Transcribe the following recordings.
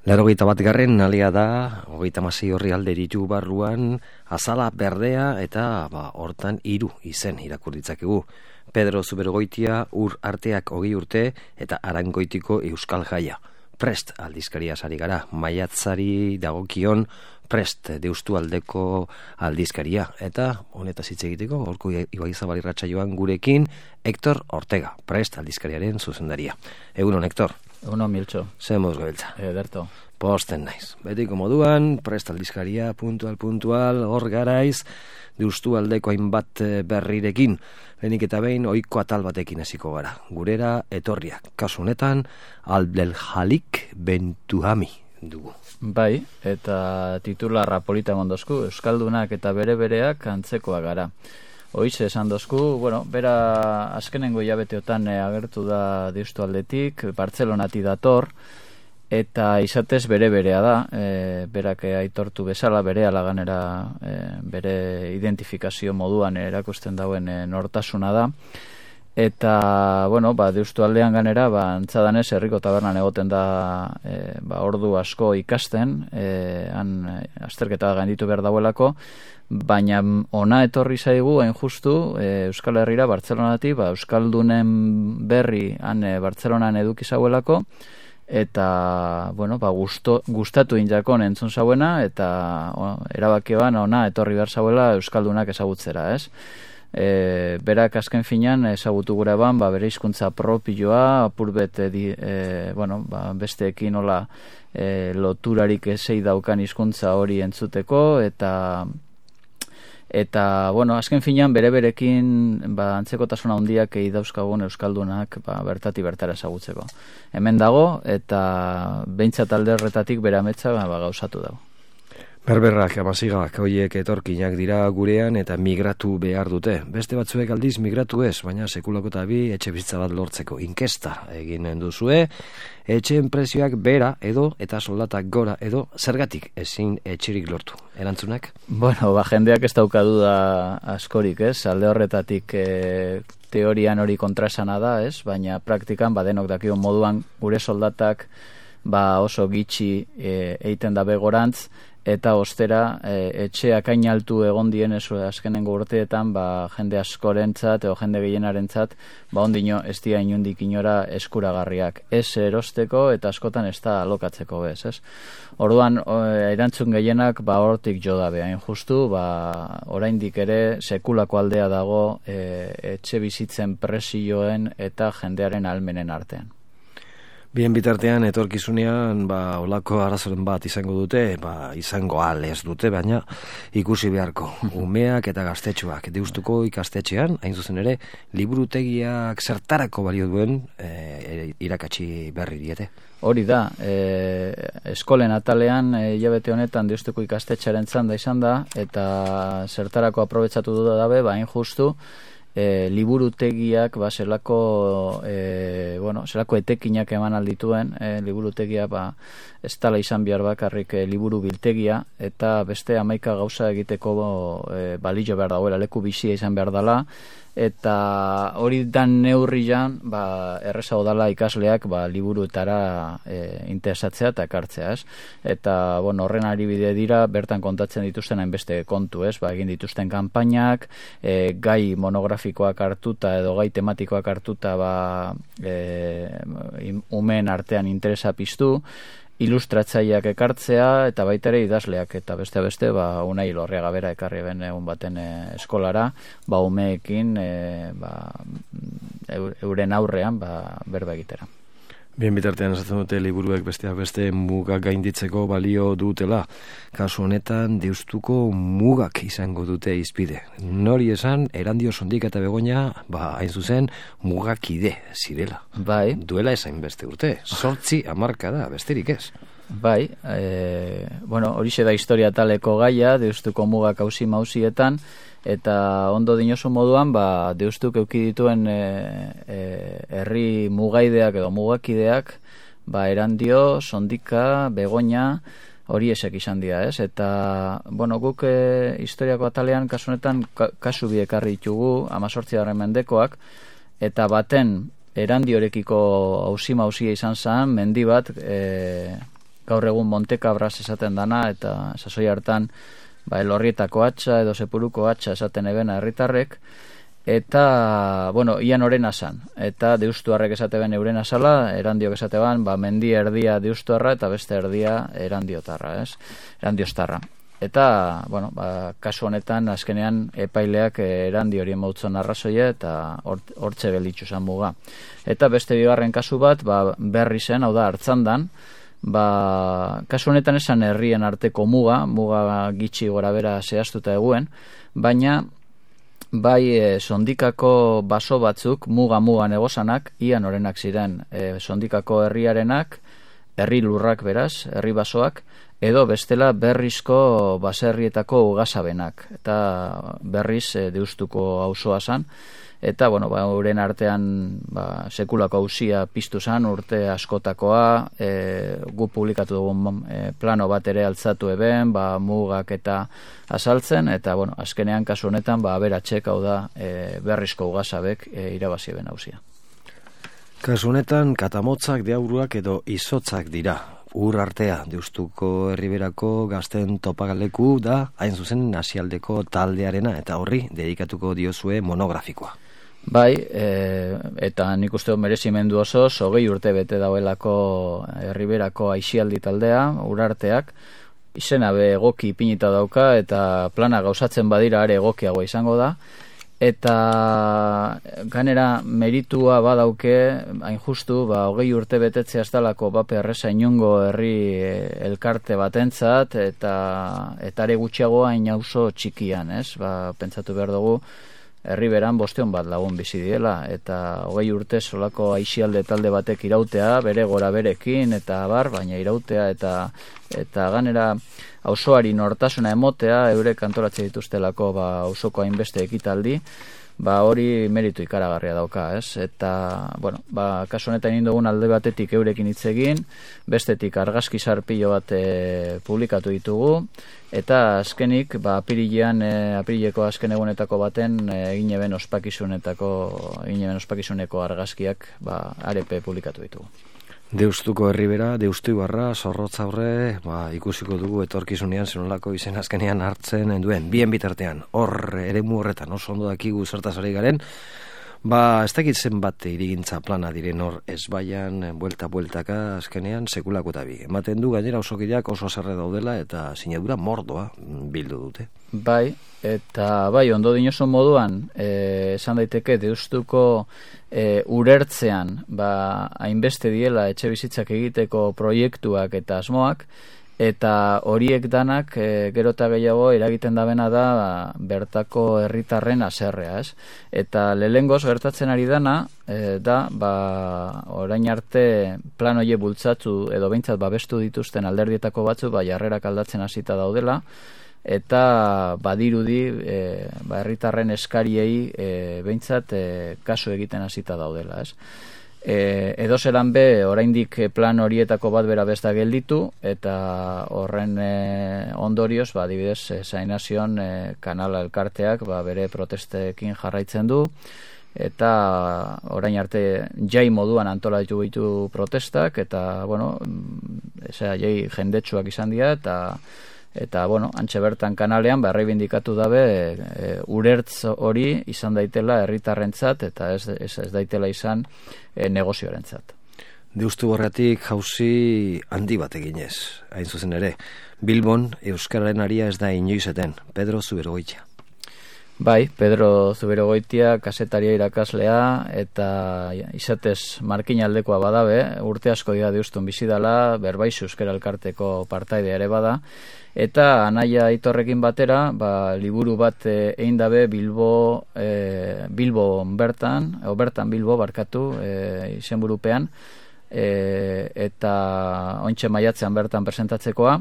81. alia da, 36 horri alde ditu barruan, azala berdea eta hortan 3 izen irakur ditzakegu. Pedro Zubergoitia ur arteak 20 urte eta Arangoitiko Euskal Jaia. Prest aldizkaria sari gara, maiatzari dagokion Prest Deustualdeko aldizkaria. Eta honetaz hitz egiteko, Gaurko Ibaizabal irratsaioan gurekin Hector Ortega, Prest aldizkariaren zuzendaria. Egunon, Hector. Egunon, Miltxo. Zemoz gabiltza. Ederto. Posten naiz. Betiko moduan, Prest aldizkaria, puntual, hor garaiz, Deustualdeko hainbat berrirekin. Lehenik eta behin, ohiko atal batekin hasiko gara. Gurera etorriak. Kasu honetan, Abdelhalik Bentuhami dugu. Bai, eta titularra polita mondozku, Euskaldunak eta bere-bereak antzekoa gara. Hoize esan dozku, bera azkenengo hilabeteotan agertu da Deustualdetik, Bartzelonati dator, eta izatez bere-berea da, berak aitortu bezala, bere alaganera, bere identifikazio moduan erakusten dauen nortasuna da. Eta, Deustualdean ganera, antzadanez, herriko tabernan egoten da ordu asko ikasten, han azterketa gainditu behar dauelako, baina ona etorri zaigu, hain justu, Euskal Herrira, Bartzelonati, Euskaldunen berri han Bartzelonan eduki zauelako, eta, gustatu injakon entzun zauena, eta erabakioan ona etorri behar zauela Euskaldunak ezagutzera, ez? Berak azken finean ezagutu gure bere hizkuntza propioa, apurbet besteekin nola loturarik ezei daukan hizkuntza hori entzuteko, eta azken finean bere-berekin antzekotasuna handiak dauzkagun Euskaldunak bertati bertara ezagutzeko. Hemen dago, eta behintzat alde horretatik bere ametsa gauzatu dago. Berberrak, amazigak, horiek etorkinak dira gurean eta migratu behar dute. Beste batzuek aldiz migratu ez, baina sekulako eta bi etxe bizitza bat lortzeko inkesta egin duzue. Etxeen prezioak bera edo eta soldatak gora edo zergatik ezin etxerik lortu. Erantzunak? Jendeak ez daukadu da askorik, ez? Alde horretatik teorian hori kontrasana da, ez? Baina praktikan denok dakion moduan gure soldatak oso gitxi eiten da begorantz, eta ostera etxeak hain altu egon dien azkenengo urteetan jende askorentzat edo jende gehienarentzat ondino ez dira inundik inora eskuragarriak. Ez erosteko eta askotan ez da alokatzeko bez, ez? Orduan, erantzun gehienak hortik jo dabe, hain justu, oraindik ere sekulako aldea dago etxe bizitzen presioen eta jendearen ahalmenen artean. Bien bitartean, etorkizunean, olako arazoren bat izango dute, izango ez dute, baina ikusi beharko. Umeak eta gaztetxoak, Deustuko ikastetxean, hain zuzen ere, liburutegiak zertarako balio duen irakatsi berri diete. Hori da, eskolen atalean, hilabete honetan Deustuko ikastetxearen zanda izan da, eta zertarako aprobetsatu du dabe, hain justu, liburutegiak zelako etekinak eman aldituen, liburutegia ez tala izan behar bakarrik liburu biltegia, eta beste 11 gauza egiteko balio behar dagoela, leku bizia izan behar dela, eta hori dan neurrian errezago dela ikasleak liburuetara interesatzea eta ekartzea, ez? Eta horren aribide dira bertan kontatzen dituzten hainbeste kontu, ez? Egin dituzten kanpainak, gai monografikoak hartuta edo gai tematikoak hartuta umeen artean interesa piztu, ilustratzaileak ekartzea eta baita ere idazleak eta beste Unai Lorriaga bera ekarri ben egun baten eskolara umeekin euren aurrean berba egitera. Bien bitartean esaten dute liburuek besteak beste mugak gainditzeko balio dutela. Kasu honetan Deustuko mugak izango dute izpide. Nori esan, Erandio Sondik eta Begoña, hain zuzen, mugakide zirela. Bai. Duela esain beste urte. 8 hamarkada, besterik ez. Bai, horixe da historia taleko gaia, Deustuko mugak hausi-mausietan, eta ondo dinosu moduan, Deustuk euki dituen herri mugaideak edo mugakideak, Erandio, Sondika, Begoña, hori esek izan dira, ez? Eta, guk historiako atalean, kasu honetan, kasu bi ekarri ditugu, 18. mendekoak, eta baten Erandiorekiko hausi-mausia izan zen, mendi bat, gaur egun Montekabras esaten dana, eta sasoi hartan Elorrietako hatxa edo Sepuruko hatxa esaten ebena herritarrek, eta, ian orena zan, eta deustuarrek esate ben eurena zala, erandiok esate ban, mendi erdia deustuarra eta beste erdia erandiotarra, erandiostarra. Eta, kasu honetan, azkenean epaileak erandi horien mautzon arrazoia eta hortxe gelitzu zan muga. Eta beste bigarren kasu bat, berri zen, hau da, Artzandan, kasu honetan esan herrien arteko muga gitxi gora bera zehaztuta eguen, baina bai sondikako baso batzuk muga negozanak ian orenak ziren, sondikako herriarenak, herri lurrak beraz, herri basoak, edo bestela berrizko baserrietako ugasabenak, eta berriz deustuko auzoa zan, eta euren artean sekulako auzia piztu zan, urte askotakoa, gu publikatu dugun plano bat ere altzatu eben, mugak eta azaltzen, eta azkenean kasu honetan aberatxek, hau da, berrizko ugasabek irabazi eben auzia. Kasu honetan katamotzak, deauruak edo izotzak dira. Ur artea, Deustuko herriberako gazten topagaleku da, hain zuzen Nasialdeko taldearena, eta horri dedikatuko diozue monografikoa. Bai, eta nik uste merezimendu oso, 20 urte bete dauelako herriberako aixialdi taldea, urarteak, izena be egoki ipinita dauka, eta plana gauzatzen badira are egokiagoa izango da, eta ganera meritua badauke, hain justu, 20 urte betetzea ez dalako erreza inongo herri elkarte batentzat, eta are gutxiagoa hain auzo txikian, pentsatu behar dugu, herriberan 500 bat lagun bizi diela, eta 20 urte solako aixialde talde batek irautea, bere gora berekin, eta baina irautea, eta ganera auzoari nortasuna emotea, eurek antolatzen dituztelako auzoko hainbeste ekitaldi, hori meritu ikaragarria dauka, Eta, kasu honetan egin dugun alde batetik eurekin hitz egin, bestetik argazki sarpilo bat publikatu ditugu, eta azkenik, apirileko azken egunetako baten egin eben ospakizuneko argazkiak arepe publikatu ditugu. Deustuko herribera, Deustuibarra, Zorrotzaurre, ikusiko dugu etorkizunean zenolako izen azkenean hartzen duen. Bien bitartean, hor eremu horretan oso ondo dakigu zertaz ari garen, ez dakit zenbat irigintza plana diren hor ezbaian, buelta-bueltaka azkenean sekulako eta bi. Ematen du gainera osokideak oso zerre daudela eta sinadura mordoa bildu dute. Bai, eta ondo dinoso moduan, esan daiteke Deustuko urertzean, hainbeste diela etxe bizitzak egiteko proiektuak eta asmoak, eta horiek danak gero eta gehiago eragiten dabena da bertako herritarren haserrea, Eta lehengoz gertatzen ari dana orain arte plan hoie bultzatu edo behintzat babestu dituzten alderdietako batzu jarrerak aldatzen hasita daudela, eta badirudi herritarren eskariei behintzat kasu egiten hasita daudela, Edo zelan be, oraindik plan horietako bat bera besta gelditu, eta horren ondorioz, adibidez, Zainazion kanala elkarteak bere protestekin jarraitzen du, eta orain arte jai moduan antolatu ditu protestak, eta, jai jendetsuak izan dira, eta antxe bertan kanalean erreibindikatu dabe urertz hori izan daitela herritarrentzat eta ez daitela izan negozioarentzat. Deustu horretik jauzi handi bat eginez, hain zuzen ere. Bilbon euskararen aria ez da inoizeten. Pedro Zuberogoitia. Bai, Pedro Zuberogoitia kasetaria irakaslea eta izatez markinaldekoa badabe, urte asko dira Deustun bizidala, Berbaizu euskara elkarteko partaide ere bada, eta anaia Aitorrekin batera, liburu bat egin dabe Bilbo bertan Bilbo barkatu izenburupean, eta ontxe maiatzean bertan presentatzekoa,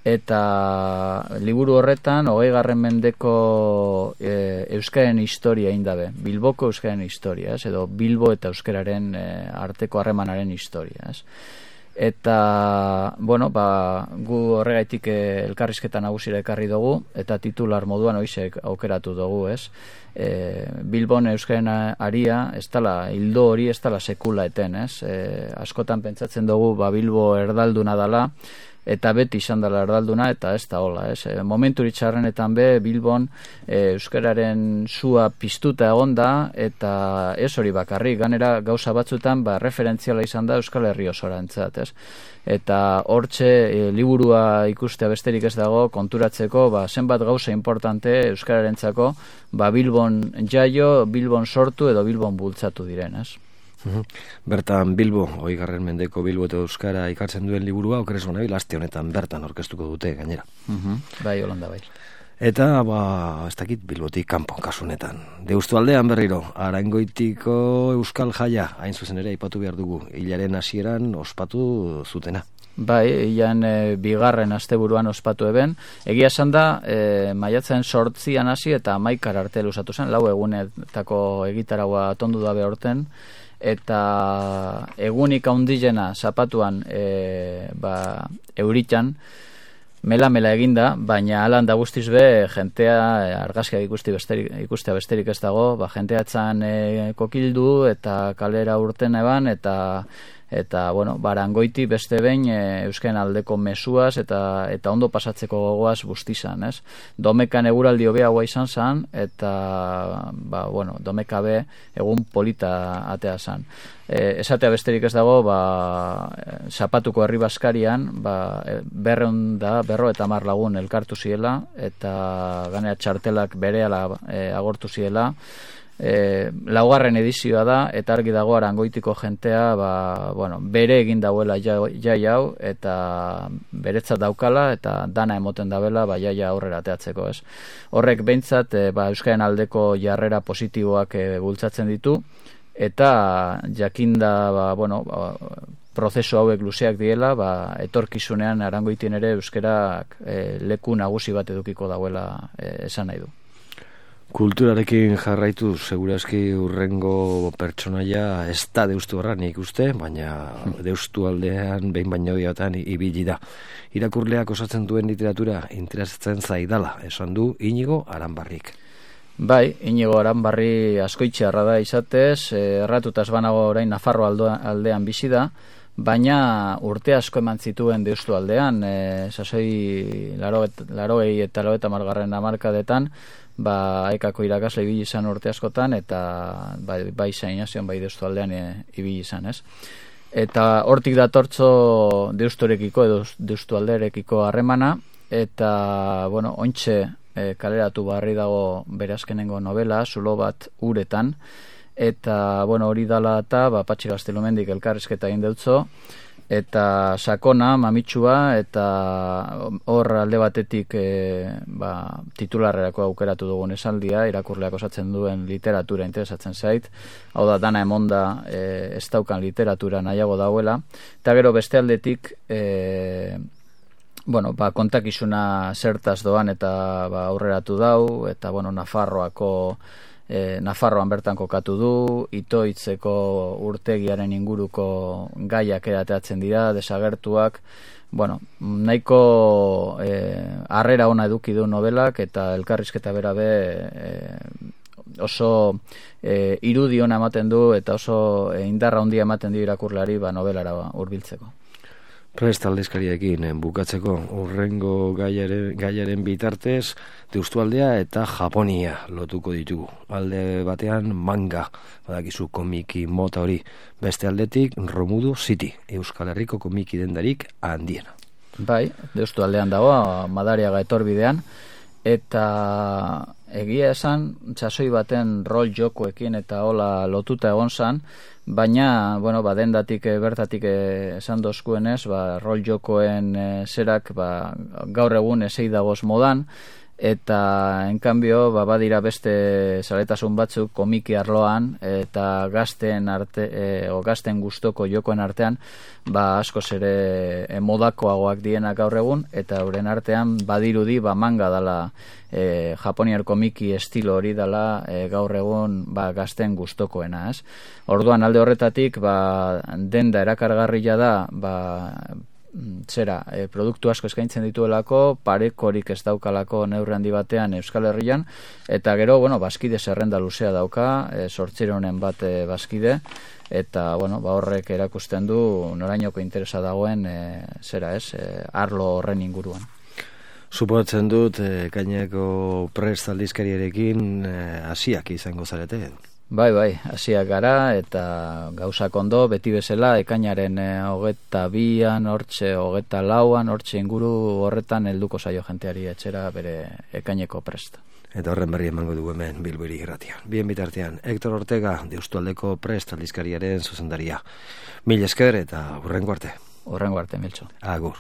eta liburu horretan 20. mendeko euskaren historia egin dabe, Bilboko euskaren historia, edo Bilbo eta euskararen arteko harremanaren historia, Eta, bueno, gu horregaitik elkarrizketa nagusira ekarri dugu, eta titular moduan hoizek aukeratu dugu, ez? Bilbon euskaren aria, hildo hori ez dala sekula eten, ez? Askotan pentsatzen dugu, Bilbo erdalduna dala, eta beti izan dela erdalduna, eta ez da hola, ez? Momentu txarrenetan Bilbon euskararen sua piztuta egonda, eta ez hori bakarrik, ganera gauza batzutan referentziala izan da Euskal Herri osorantzat, ez? Eta hortxe liburua ikustea besterik ez dago konturatzeko zenbat gauza importante euskararentzako Bilbon jaio, Bilbon sortu edo Bilbon bultzatu diren, ez? Bertan Bilbo, 20. mendeko Bilbo eta Euskara ikartzen duen liburua, okeres bonabil, aste honetan bertan aurkeztuko dute gainera. Bai, holanda bai. Eta, ez dakit Bilbotik kanpo kasunetan. Deustu aldean berriro, Arangoitiko Euskal Jaia, hain zuzen ere aipatu behar dugu, hilaren hasieran ospatu zutena. Bai, hilan bigarren asteburuan ospatu eben. Egia esan da, maiatzen 8 hasi eta 11 arte luzatu zen, 4 egunetako egitaragua atondu dabe horten, eta egunik haundilena zapatuan euritan, mela eginda, baina alan da guztiz jentea argazkiak ikustea besterik ez dago, jentea etzan kokildu eta kalera urten eban, eta bueno, Arangoiti beste behin euskaren aldeko mezuaz eta ondo pasatzeko gogoaz bustizan, ez? Domekan eguraldi hobeagoa izan zan, eta bueno, Domeka egun polita atea zan. Esatea besterik ez dago, zapatuko herri baskarian, 250 lagun elkartu ziela, eta ganea txartelak berehala agortu ziela. Laugarren edizioa da, eta argi dago Arangoitiko jentea bere egin dauela jai hau, eta beretzat daukala, eta dana emoten dabela jaia aurrera ateatzeko, ez? Horrek behintzat euskaren aldeko jarrera positiboak bultzatzen ditu, eta jakinda prozesu hauek luzeak diela, etorkizunean Arangoitien ere euskarak leku nagusi bat edukiko dauela esan nahi du. Kulturarekin jarraitu, segurazki urrengo pertsonaia ez da Deustu Barra nik uste, baina Deustu aldean behin baino gehiagotan ibili da. Irakurleak osatzen duen literatura interesatzen zaidala, esan du Inigo Aranbarrik. Bai, Inigo Aranbarri askoitxearra da izatez, erratutaz banago orain Nafarro aldean bizi da, baina urte asko eman zituen Deustu aldean, sasoi 80 eta 90 hamarkadetan, ekako irakasle ibili izan urte askotan, eta bai zainazion, bai Deustu aldean ibili izan, ez? Eta hortik datortzo Deusturekiko edo Deustu alderekiko harremana, eta, bueno, ontxe kaleratu barri dago bere azkenengo novela, Zulo bat uretan, eta, bueno, hori dala eta Patxi Gaztelumendik elkarrizketa egin deutzo, eta sakona, mamitsua, eta hor alde batetik titularrerako aukeratu dugun esaldia, irakurleak osatzen duen literatura interesatzen zait, hau da, dana emonda ez daukan literatura nahiago dauela, eta gero beste aldetik kontakizuna zertaz doan eta aurreratu dau, eta Nafarroan bertan kokatu du, Itoitzeko urtegiaren inguruko gaiak erateatzen dira, desagertuak, nahiko harrera ona eduki du novelak, eta elkarrizketa bera oso irudi ona ematen du, eta oso indarra handia ematen du irakurlari novelara hurbiltzeko. Prest aldizkariekin bukatzeko urrengo gaiaren bitartez Deustu aldea eta Japonia lotuko ditugu. Alde batean manga, badakizu komiki mota hori, beste aldetik Romudu City, Euskal Herriko komiki dendarik handiena. Bai, Deustu aldean dago, Madariaga etorbidean, eta egia esan, txasoi baten rol jokoekin eta hola lotuta egon zan, baina, dendatik bertatik esan dozkuenez, rol jokoen zerak gaur egun esei dagoz modan, eta enkanbio badira beste zaletasun batzuk komiki arloan eta gazten gustoko jokoen artean askoz ere modakoagoak dienak gaur egun, eta euren artean badirudi manga dala japoniar komiki estilo hori dala gaur egun gazten gustokoena, ez? Orduan alde horretatik denda erakargarria da produktu asko eskaintzen dituelako, parekorik ez daukalako neurri handi batean Euskal Herrian, eta gero, bazkide zerrenda luzea dauka, 800 bat bazkide, eta horrek erakusten du norainoko interesa dagoen arlo horren inguruan. Suposatzen dut, Ekaineko Prest aldizkariarekin hasiak izango zarete? Bai, hasiak gara, eta gauzak ondo, beti bezala, ekainaren 22an, hortxe 24an, hortxe inguru horretan helduko zaio jenteari etxera bere Ekaineko Prest. Eta horren berri emango dugu hemen Bilbo Hiri Irratian. Bien bitartean, Hector Ortega, Deustualdeko Prest aldizkariaren zuzendaria. Mil esker eta hurrengo arte. Hurrengo arte, Miltxo. Agur.